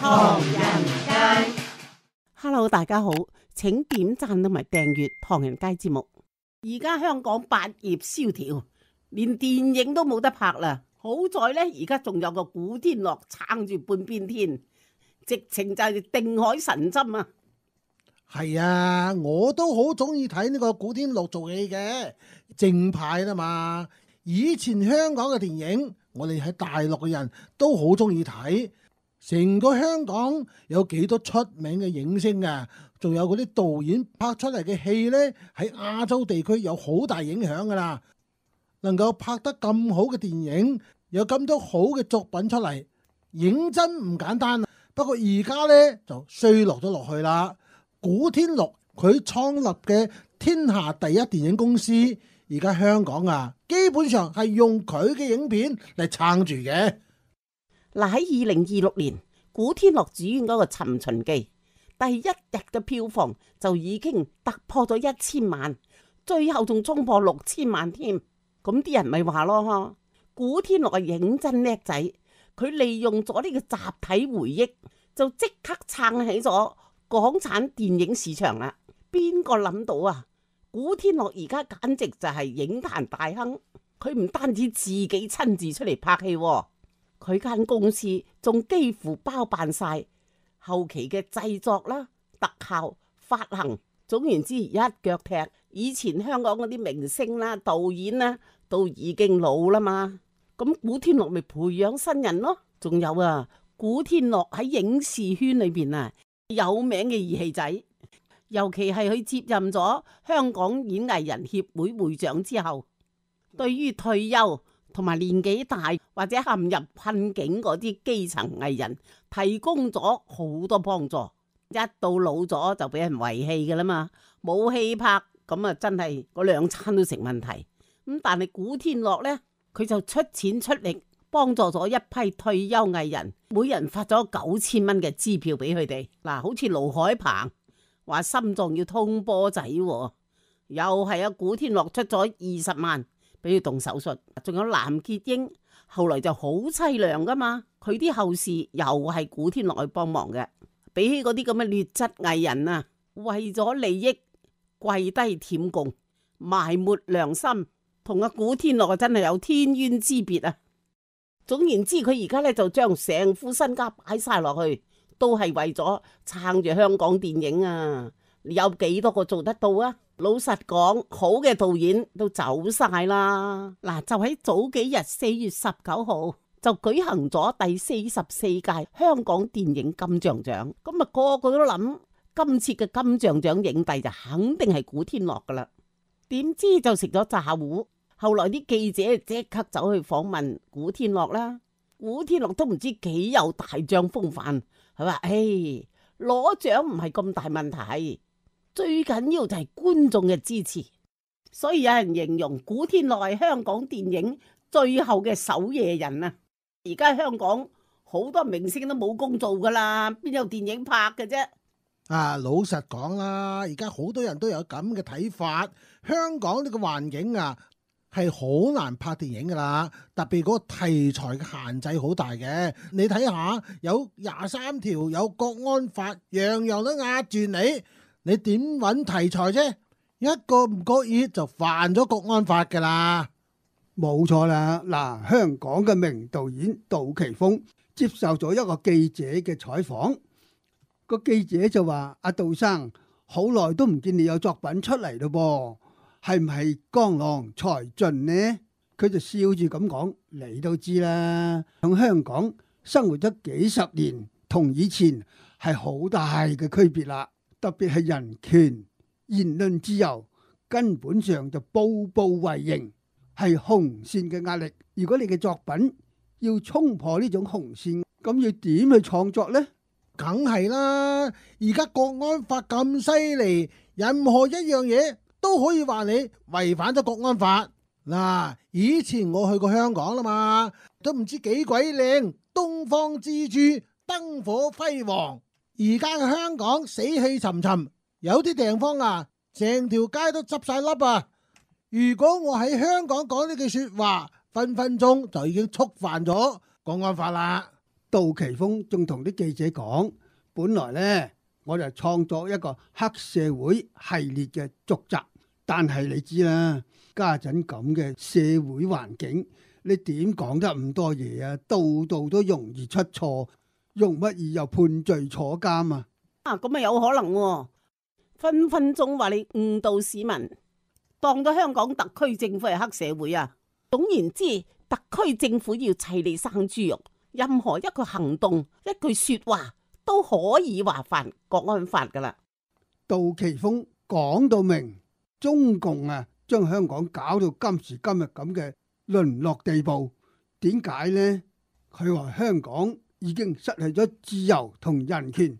唐人街。Hello， 大家好，請點讚同埋訂閱唐人街節目。而家香港百業蕭條，連電影都冇得拍啦。好在呢，而家仲有個古天樂撐住半邊天，直情就係定海神針啊！係啊，我都好中意睇呢個古天樂做戲嘅，正派啦嘛。以前香港嘅電影，我哋喺大陸嘅人都好中意睇。成個香港有幾多出名嘅影星啊，仲有嗰啲導演拍出嚟嘅戲呢，喺亞洲地區有好大影響噶啦。能夠拍得咁好嘅電影，有咁多好嘅作品出嚟，認真唔簡單啊。不過而家呢，就衰落咗落去啦。古天樂佢創立嘅天下第一電影公司，而家香港啊，基本上係用佢嘅影片嚟撐住嘅。嗱，喺2026年，古天樂主演嗰個《尋秦記》第一日嘅票房就已經突破咗1000萬，最後仲衝破6000萬添。咁啲人咪話咯，古天樂係認真叻仔，佢利用咗呢個集體回憶，就即刻撐起咗港產電影市場啦。邊個諗到啊？古天樂而家簡直就係影壇大亨，佢唔單止自己親自出嚟拍戲，佢間公司仲幾乎包辦晒後期嘅製作啦、特效、發行，總言之一腳踢。以前香港嗰啲明星啦、導演啦都已經老啦嘛，咁古天樂咪培養新人咯。仲有啊，古天樂喺影視圈裏邊啊有名嘅義氣仔，尤其係佢接任咗香港演藝人協會會長之後，對於退休同埋年紀大或者陷入困境嗰啲基層藝人提供咗好多幫助。一到老咗就俾人遺棄噶啦嘛，冇戲拍咁啊，真係嗰兩餐都成問題。咁但係古天樂呢，佢就出錢出力幫助咗一批退休藝人，每人發咗9000蚊嘅支票俾佢哋。嗱，好似盧海鵬話心臟要通波仔，又係啊，古天樂出咗20萬俾佢動手術。仲有藍潔瑛後來就好淒涼噶嘛，佢啲後事又係古天樂去幫忙嘅。比起嗰啲咁嘅劣質藝人啊，為咗利益跪低舔共、埋沒良心，同阿古天樂真係有天淵之別啊！總言之，佢而家咧就將成副身家擺晒落去，都係為咗撐住香港電影啊！有幾多個做得到啊？老實講，好嘅導演都走晒啦。嗱，就喺早幾日4月19號就舉行咗第44屆香港電影金像獎，咁啊個個都諗今次嘅金像獎影帝就肯定係古天樂噶啦。點知就食咗炸糊，後來啲記者即刻走去訪問古天樂啦。古天樂都唔知幾有大將風範，佢話：攞獎唔係咁大問題，最緊要就係觀眾嘅支持。所以有人形容古天樂係香港電影最後嘅守夜人啊！而家香港好多明星都冇工做噶啦，邊有電影拍嘅啫？啊，老實講啦，而家好多人都有咁嘅睇法。香港呢個環境啊，係好難拍電影噶啦，特別嗰個題材嘅限制好大嘅。你睇下，有23條，有國安法，樣樣都壓住你，你點揾題材啫？一個唔覺意就犯咗國安法噶啦。冇錯啦，嗱，香港嘅名導演杜琪峰接受咗一個記者嘅採訪，個記者就話：阿杜生，好耐都唔見你有作品出嚟咯噃，係唔係江郎才盡呢？佢就笑住咁講：你都知啦，喺香港生活咗幾十年，同以前係好大嘅區別啦，特別係人權、言論自由，根本上就步步為營。係紅線嘅壓力，如果你嘅作品要衝破呢種紅線，咁要點去創作呢？梗係啦，而家國安法咁犀利，任何一樣嘢都可以話你違反咗國安法。嗱，以前我去過香港啦嘛，都唔知幾鬼靚，東方之珠，燈火輝煌。而家嘅香港死氣沉沉，有啲地方啊，成條街都執晒笠啊！如果我喺香港講呢句說話，分分鐘就已經觸犯咗國安法啦。杜琪峰仲同啲記者講，本來呢，我就創作一個黑社會系列嘅續集，但係你知啦，家陣咁嘅社會環境，你點講得咁多嘢啊？度度都容易出錯，容乜易又判罪坐監啊？咁啊有可能喎，分分鐘話你誤導市民，當咗香港特區政府係黑社會啊！總言之，特區政府要砌你生豬肉，任何一個行動、一句說話都可以話犯國安法噶啦。杜琪峰講到明，中共啊將香港搞到今時今日咁嘅淪落地步，點解呢？佢話香港已經失去咗自由同人權。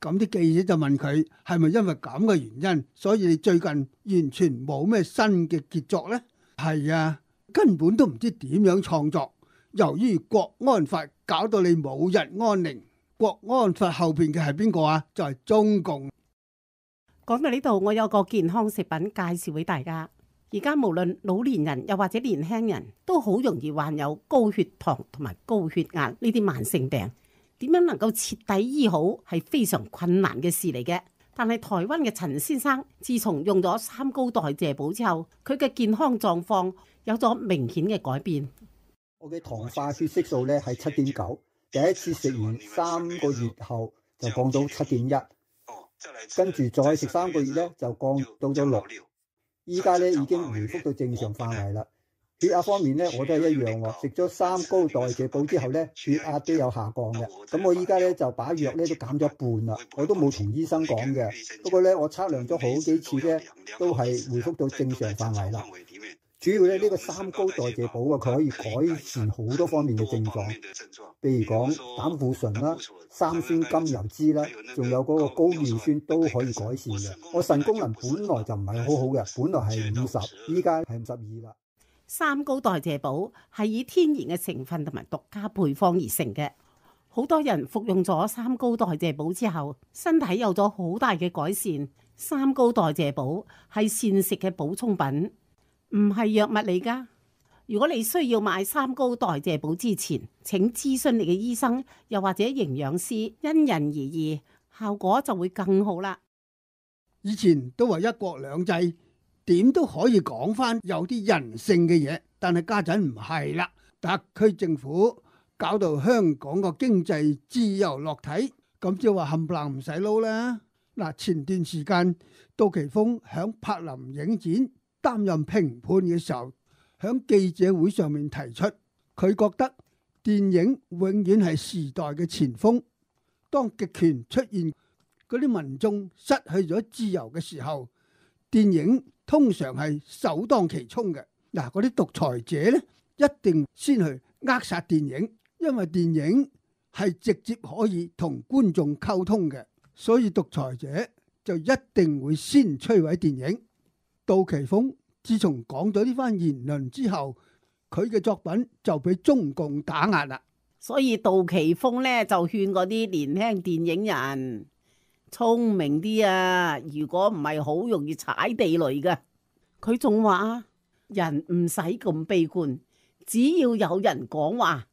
咁啲記者就問佢係咪因為咁嘅原因，所以你最近完全冇咩新嘅傑作呢？係啊，根本都唔知點樣創作。由於國安法搞到你冇日安寧，國安法後邊嘅係邊個啊？就係中共。講到呢度，我有個健康食品介紹俾大家。而家無論老年人又或者年輕人都好容易患有高血糖同埋高血壓呢啲慢性病。點樣能夠徹底醫好係非常困難嘅事嚟嘅，但係台灣嘅陳先生自從用咗三高代謝補之後，佢嘅健康狀況有咗明顯嘅改變。我嘅糖化血色素咧係7.9，第一次食完3個月後就降到7.1，跟住再食3個月咧就降到咗6，依家咧已經回復到正常範圍啦。血壓方面咧，我都係一樣喎。食咗三高代謝補之後咧，血壓都有下降嘅。咁我依家咧就把藥咧都減咗一半啦。我都冇同醫生講嘅。不過咧，我測量咗好幾次咧，都係回復到正常範圍啦。主要咧呢個三高代謝補啊，佢可以改善好多方面嘅症狀，譬如講膽固醇啦、三酸甘油酯啦，仲有嗰個高尿酸都可以改善嘅。我腎功能本來就唔係好好嘅，本來係50，依家係52啦。三高代謝補係以天然嘅成分同埋獨家配方而成嘅，好多人服用咗三高代謝補之後，身體有咗好大嘅改善。三高代謝補係膳食嘅補充品，唔係藥物嚟㗎。如果你需要買三高代謝補之前，請諮詢你嘅醫生，又或者營養師，因人而異，效果就會更好啦。以前都話一國兩制，點都可以講翻有啲人性嘅嘢，但係家陣唔係啦。特區政府搞到香港個經濟自由落體，咁即係話冚唪唥唔使撈啦。嗱，前段時間杜琪峰響柏林影展擔任評判嘅時候，響記者會上面提出，佢覺得電影永遠係時代嘅前鋒。當極權出現，嗰啲民眾失去咗自由嘅時候，電影通常係首當其衝嘅。嗱，嗰啲獨裁者呢，一定先去扼殺電影，因為電影係直接可以同觀眾溝通嘅，所以獨裁者就一定會先摧毀電影。杜琪峰自從講咗呢番言論之後，佢嘅作品就俾中共打壓啦。所以杜琪峰呢，就勸嗰啲年輕電影人聰明啲啊！如果唔係，好容易踩地雷噶。佢仲話人唔使咁悲觀，只要有人講話，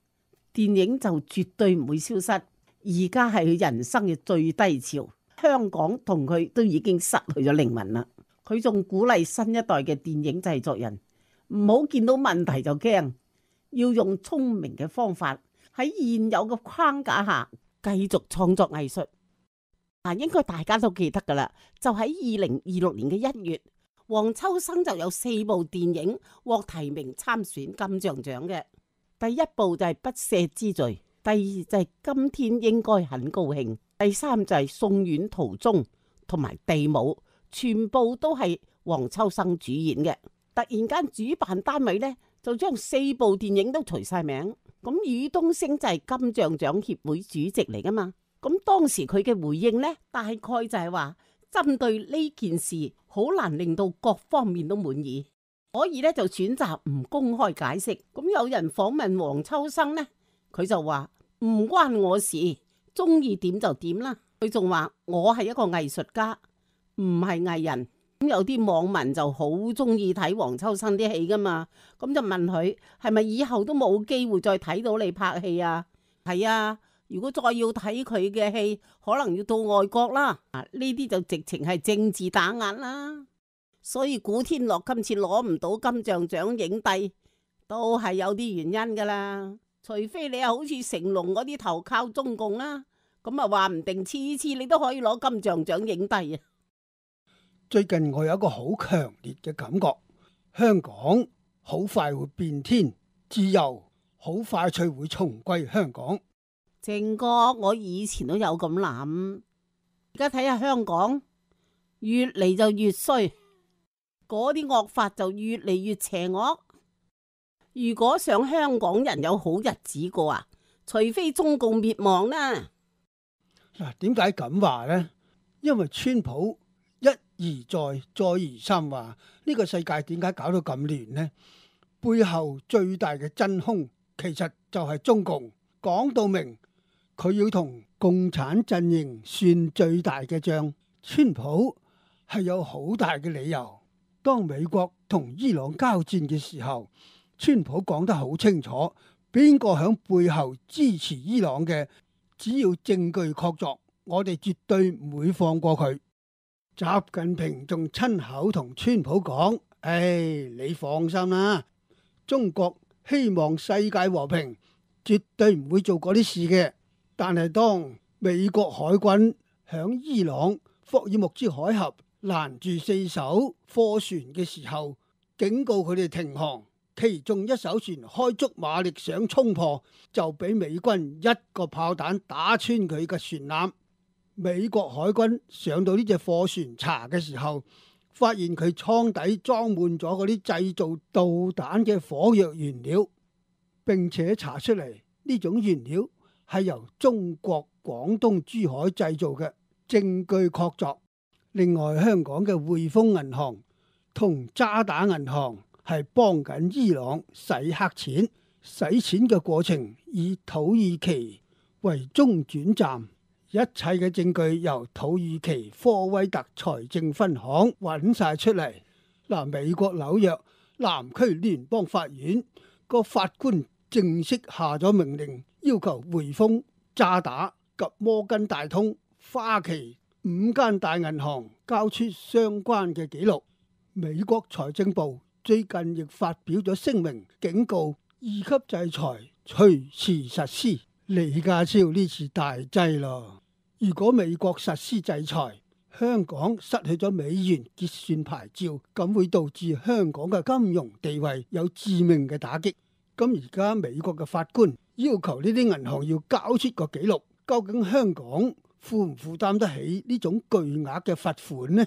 電影就絕對唔會消失。而家係佢人生嘅最低潮，香港同佢都已經失去咗靈魂啦。佢仲鼓勵新一代嘅電影製作人唔好見到問題就驚，要用聰明嘅方法喺現有嘅框架下繼續創作藝術。應該大家都記得噶啦，就喺2026年嘅1月，黃秋生就有4部電影獲提名參選金像獎嘅。第一部就係不赦之罪，第二就係今天應該很高興，第三就係送院途中同埋地母，全部都係黃秋生主演嘅。突然間主辦單位呢，就將4部電影都除晒名。咁宇東昇就係金像獎協會主席嚟噶嘛。咁當時佢嘅回應呢，大概就係話針對呢件事好難令到各方面都滿意，所以咧就選擇唔公開解釋。咁有人訪問黃秋生呢，佢就話唔關我事，中意點就點啦。佢仲話我係一個藝術家，唔係藝人。咁有啲網民就好中意睇黃秋生啲戲噶嘛，咁就問佢係咪以後都冇機會再睇到你拍戲啊？係啊，如果再要睇佢嘅戲，可能要到外國啦。呢啲就直情係政治打壓啦。所以古天樂今次攞唔到金像獎影帝，都係有啲原因噶啦。除非你又好似成龍嗰啲投靠中共啦，咁啊話唔定次次你都可以攞金像獎影帝啊。最近我有一個好強烈嘅感覺，香港好快會變天，自由好快脆會重歸香港。正哥，我以前都有咁諗，而家睇下香港越嚟就越衰，嗰啲惡法就越嚟越邪惡。如果想香港人有好日子過啊，除非中共滅亡啦。嗱，點解咁話呢？因為川普一而再，再而三話呢個世界點解搞到咁亂呢？背後最大嘅真兇其實就係中共，講到明佢要同共產陣營算最大嘅賬。川普係有好大嘅理由。當美國同伊朗交戰嘅時候，川普講得好清楚，邊個響背後支持伊朗嘅，只要證據確鑿，我哋絕對唔會放過佢。習近平仲親口同川普講：你放心啦，中國希望世界和平，絕對唔會做嗰啲事嘅。但係當美國海軍響伊朗霍爾木茲海峽攔住4艘貨船嘅時候，警告佢哋停航。其中一艘船開足馬力想衝破，就俾美軍一個炮彈打穿佢嘅船艦。美國海軍上到呢隻貨船查嘅時候，發現佢艙底裝滿咗嗰啲製造導彈嘅火藥原料，並且查出嚟呢種原料係由中國廣東珠海製造嘅，證據確鑿。另外，香港嘅匯豐銀行同渣打銀行係幫緊伊朗洗黑錢，洗錢嘅過程以土耳其為中轉站，一切嘅證據由土耳其科威特財政分行揾晒出嚟。嗱，美國紐約南區聯邦法院個法官正式下咗命令，要求匯豐、渣打及摩根大通、花旗5間大銀行交出相關嘅記錄。美國財政部最近亦發表咗聲明，警告2級制裁隨時實施。李家超呢次大劑咯！如果美國實施制裁，香港失去咗美元結算牌照，咁會導致香港嘅金融地位有致命嘅打擊。咁而家美國嘅法官要求呢啲銀行要交出個記錄，究竟香港負唔負擔得起呢種巨額嘅罰款呢？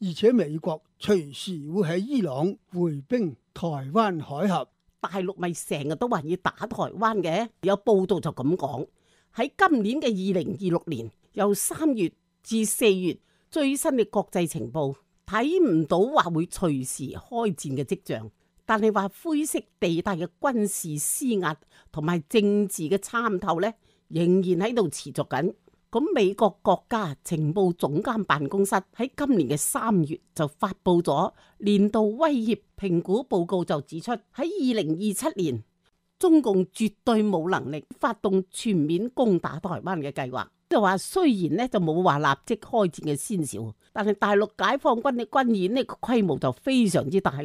而且美國隨時會喺伊朗回兵台灣海峽，大陸咪成日都話要打台灣嘅，有報道就咁講。喺今年嘅2026年，由3月至4月，最新嘅國際情報睇唔到話會隨時開戰嘅跡象，但係話灰色地帶嘅軍事施壓同埋政治嘅參透呢，仍然喺度持續緊。咁美國國家情報總監辦公室喺今年嘅3月就發佈咗年度威脅評估報告，就指出喺2027年，中共絕對冇能力發動全面攻打台灣嘅計劃。就話雖然呢就冇話立即開戰嘅先兆，但係大陸解放軍嘅軍演呢個規模就非常之大。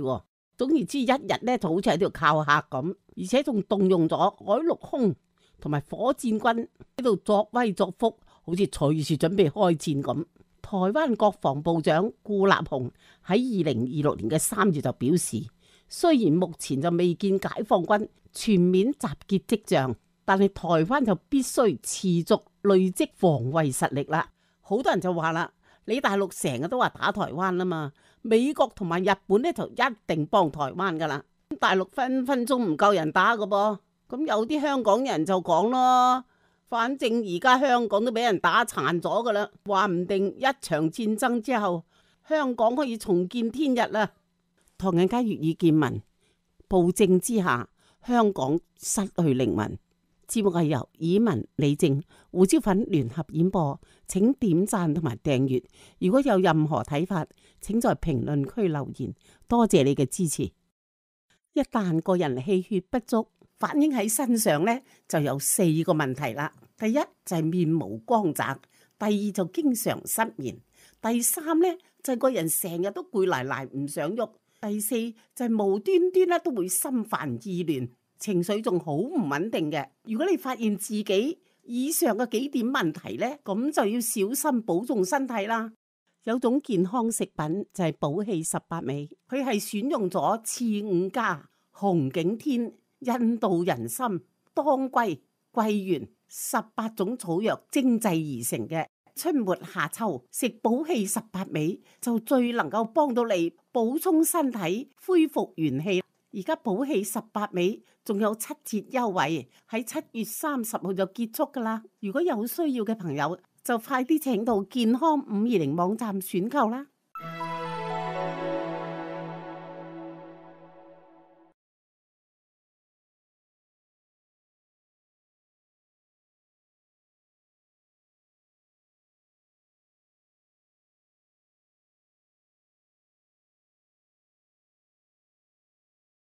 總言之，一日呢就好似喺度靠客咁，而且仲動用咗海陸空同埋火箭軍喺度作威作福，好似隨時準備開戰咁。台灣國防部長顧立雄喺2026年嘅3月就表示，雖然目前就未見解放軍全面集結跡象，但係台灣就必須持續累積防衛實力啦。好多人就話啦，你大陸成日都話打台灣啦嘛，美國同埋日本呢就一定幫台灣噶啦，大陸分分鐘唔夠人打噶噃。咁有啲香港人就講咯，反正而家香港都俾人打殘咗噶啦，話唔定一場戰爭之後，香港可以重見天日啦。唐人街粵語見聞，暴政之下，香港失去靈魂。節目係由以文、李正、胡椒粉聯合演播，請點讚同埋訂閱。如果有任何睇法，請在評論區留言。多謝你嘅支持。一旦個人氣血不足，反映喺身上呢，就有4個問題啦。第一就係面無光澤，第二就經常失眠，第三呢就係個人成日都攰賴賴唔想喐，第四就係無端端咧都會心煩意亂，情緒仲好唔穩定嘅。如果你發現自己以上嘅幾點問題呢，咁就要小心保重身體啦。有種健康食品就係補氣18味，佢係選用咗刺五加、紅景天、印度人參、當歸、桂圓18種草藥精製而成嘅。春末夏秋食補氣18味就最能夠幫到你補充身體、恢復元氣。而家補氣18味仲有7折優惠，喺7月30號就結束噶啦。如果有需要嘅朋友，就快啲請到健康520網站選購啦。